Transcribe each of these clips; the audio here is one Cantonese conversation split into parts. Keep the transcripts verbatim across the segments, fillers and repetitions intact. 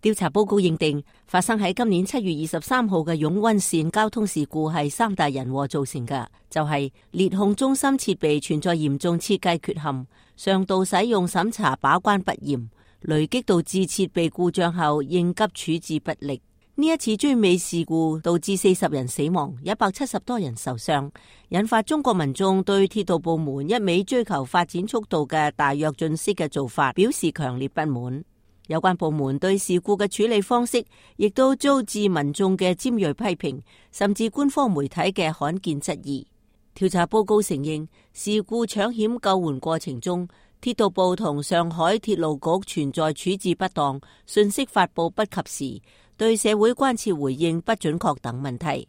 調查報告認定，發生喺今年七月二十三號嘅湧溫線交通事故係三大人禍造成嘅，就係、是、列控中心設備存在嚴重設計缺陷，上道使用審查把關不嚴，雷擊導致設備故障後應急處置不力。呢一次追尾事故導致四十人死亡，一百七十多人受傷，引發中國民眾對鐵道部門一味追求發展速度嘅大躍進式嘅做法表示強烈不滿。有關部門對事故嘅處理方式亦都遭致民眾嘅尖銳批評，甚至官方媒體嘅罕見質疑。調查報告承認，事故搶險救援過程中，鐵道部同上海鐵路局存在處置不當、信息發佈不及時、對社會關切回應不準確等問題。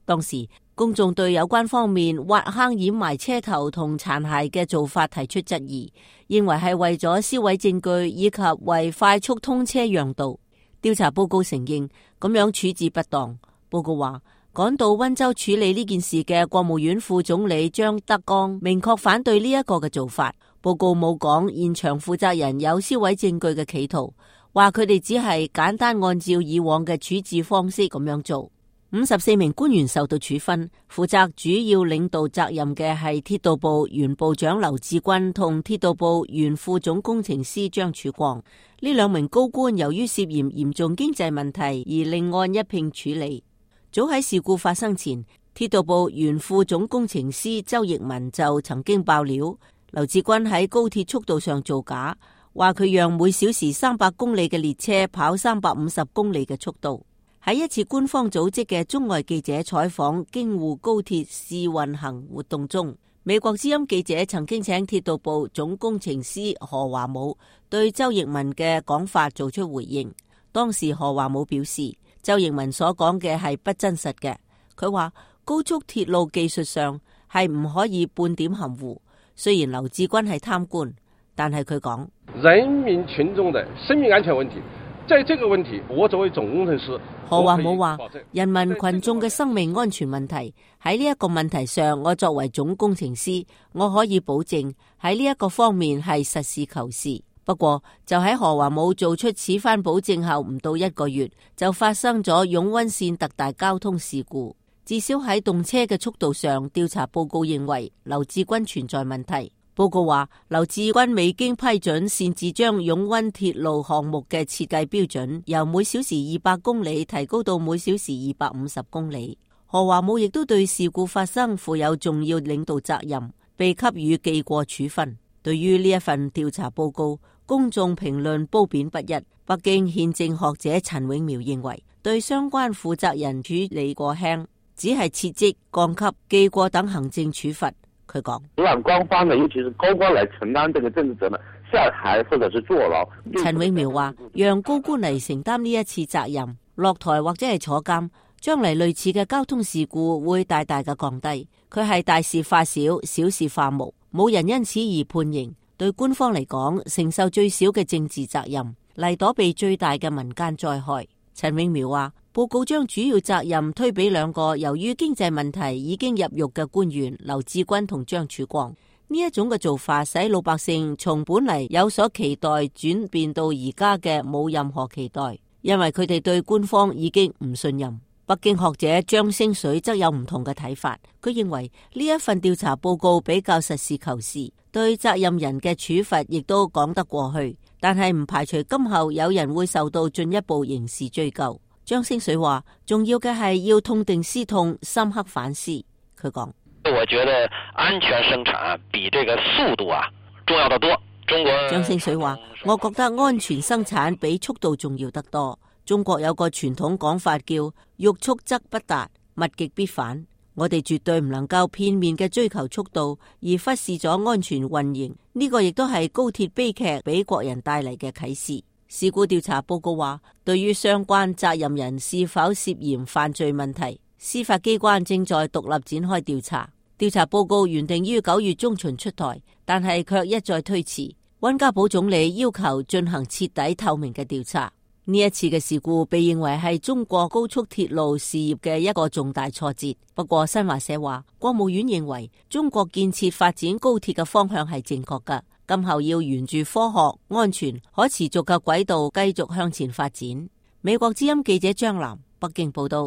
當時公眾對有關方面挖坑掩埋車頭同殘骸嘅做法提出質疑，認為係為咗銷毀證據以及為快速通車讓道。調查報告承認咁樣處置不當。報告話，趕到溫州處理呢件事嘅國務院副總理張德江明確反對呢一個嘅做法。報告冇講現場負責人有銷毀證據嘅企圖，話佢哋只係簡單按照以往嘅處置方式咁樣做。五十四名官員受到處分，負責主要領導責任嘅係鐵道部原部長劉志軍同鐵道部原副總工程師張曙光。呢兩名高官由於涉嫌嚴重經濟問題而另案一併處理。早喺事故發生前，鐵道部原副總工程師周奕文就曾經爆料，劉志軍喺高鐵速度上造假，話佢讓每小時三百公里嘅列車跑三百五十公里嘅速度。喺一次官方組織嘅中外記者採訪京滬高鐵試運行活動中，美國之音記者曾經請鐵道部總工程師何華武對周奕文嘅講法做出回應。當時何華武表示，周奕文所講嘅係不真實嘅。佢話高速鐵路技術上係唔可以半點含糊。雖然劉志軍係貪官，但係佢講人民群眾的生命安全問題，在這個問題，我作為總工程師，何華武話人民群眾嘅生命安全問題喺呢一個問題上，我作為總工程師，我可以保證喺呢一個方面係實事求是。不過就喺何華武做出此番保證後唔到一個月，就發生咗湧溫線特大交通事故。至少喺動車嘅速度上，調查報告認為劉志軍存在問題。報告話，劉志軍未經批准擅自將湧溫鐵路項目嘅設計標準由每小時二百公里提高到每小時二百五十公里。何華武亦都對事故發生負有重要領導責任，被給予記過處分。對於呢一份調查報告，公眾評論褒貶不一。北京憲政學者陳永苗認為，對相關負責人處理過輕，只係撤職、降級、記過等行政處罰。佢講，讓官方呢，尤其是高官嚟承擔這個政治責任，下台或者是坐牢。陳永苗話，讓高官嚟承擔呢一次責任，落台或者係坐監，將嚟類似嘅交通事故會大大嘅降低。佢係大事化小，小事化無，冇人因此而判刑。對官方嚟講，承受最少嘅政治責任，嚟躲避最大嘅民間災害。陳永苗話，報告將主要責任推俾兩個由於經濟問題已經入獄嘅官員劉志軍同張曙光。呢一種嘅做法使老百姓從本嚟有所期待轉變到而家嘅冇任何期待，因為佢哋對官方已經唔信任。北京學者張星水則有唔同嘅睇法，佢認為呢一份調查報告比較實事求是，對責任人嘅處罰亦都講得過去，但係唔排除今後有人會受到進一步刑事追究。張星水話，重要嘅係要痛定思痛，深刻反思。佢講，我覺得安全生產比這個速度啊重要得多。中國張星水話，我覺得安全生產比速度重要得多。中國有個傳統講法叫欲速則不達，物極必反。我哋絕對唔能夠片面嘅追求速度，而忽視咗安全運營。呢個亦都係高鐵悲劇俾國人帶嚟嘅啟示。事故調查報告話，對於相關責任人是否涉嫌犯罪問題，司法機關正在獨立展開調查。調查報告原定於九月中旬出台，但係卻一再推遲。溫家寶總理要求進行徹底透明嘅調查。呢一次嘅事故被認為係中國高速鐵路事業嘅一個重大挫折。不過新華社話，國務院認為中國建設發展高鐵嘅方向係正確㗎，今後要沿住科學、安全、可持續嘅軌道繼續向前發展。美國之音記者張嵐北京報道。